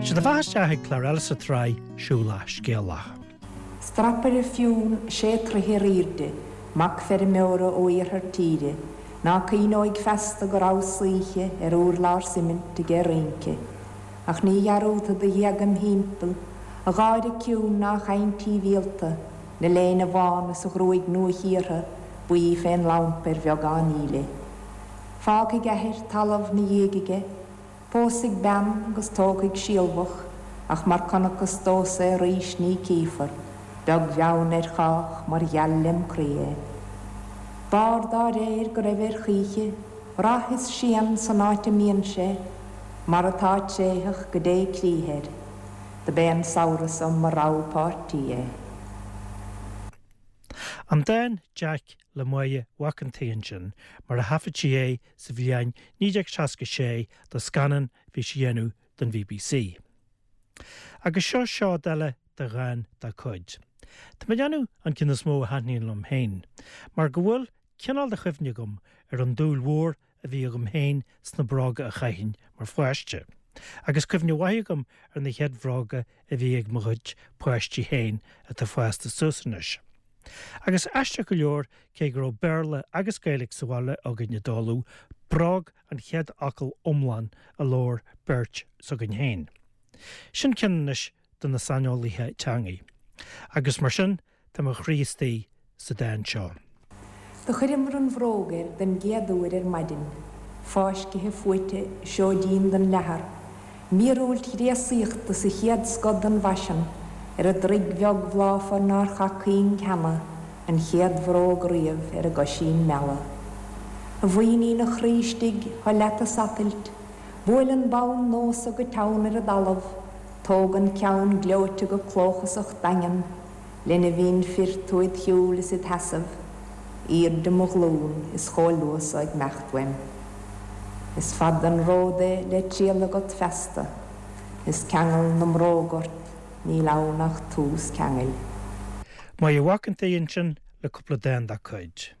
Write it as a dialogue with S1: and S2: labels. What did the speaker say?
S1: Sé do bheatha isteach ag clár eile sa tsraith Siúlach Scéalach.
S2: Strapaire fionn sé troithe ar aoirde, mac feirmeora ó iarthar tíre, ná cuimhneoidh feasta go rabhas oíche ar urlár suimint aige ag rince. Ach ní dhearúdfad a ghéaga im thimpeall, a gháire ciúin ná a chaint shibhialta, 'na léine bhán is a ghruaig nua-chíortha buí fén lampa ar bheagán íle. Fágfaidh athair talamh 'na dhiaidh aige, pósfaidh bean agus tógfaidh sealbhach, ach mar conacthas domhsa é arís ní cífear, beag bheann ar chách, mar gheall lem chroí é. B'fhearr dá réir go raibh air choíche, rath is séan san áit a mbíonn sé, mar atá tréitheach go dté crích air. Do b'é an samhradh so mo rogha páirtí é.
S1: An dán 'Jeaic' le Máire Mhac an tSaoi ansin, mar a thaifead sí é sa bhliain 1966 do scannán a bhí sí a dhéanamh don BBC. Agus seo seod eile de dhán dá cuid. Tá mé ag déanamh an ceann is mó a thaitníonn liom féin, mar go bhfuil cineál de chuimhne agam ar an dúil mhór a bhí agam féin sna bróga a chaithfinn mar pháiste. Agus cuimhne mhaith agam ar na chéad bhróga a bhí ag mo chuid páistí féin atá fásta suas anois. Agus aisteach go leor, cé go raibh Béarla agus Gaeilge sa bhaile againn i dtólamh, bróg an chéad fhocal iomlán a labhair beirt s'againn féin. Sin ceann anois do na saineolaithe teangaidh. Agus mar sin, tá mo chroí istigh sa dán seo.
S2: Do chuireamar an bhróg air den gcéad uair ar maidin, fáiscithe fuaite i seoidín den leathar, míorúilt ghréasaíochta sa chéad scoth den bhfaisean, ar an dtroigh bheag bhláfar nár chaith cuing cheana an chéad bhróg riamh ar an gcoisín meala. A mhuinín a chroí istigh, thá leat a satailt, buail an bonn nua so go teann ar an dtalamh, tóg an ceann gleoite go clóchasach daingean, lena bhinn fir tú id shiúl is id sheasamh, aoirde mo ghlún is chomh luath so ag 'meacht uaim. Is fada an ród é le triall agat feasta, is ceangal na mbróg ort, níl ann ach tús ceangail.
S1: Máire Mhac an tSaoi ansin le cúpla dán dá cuid.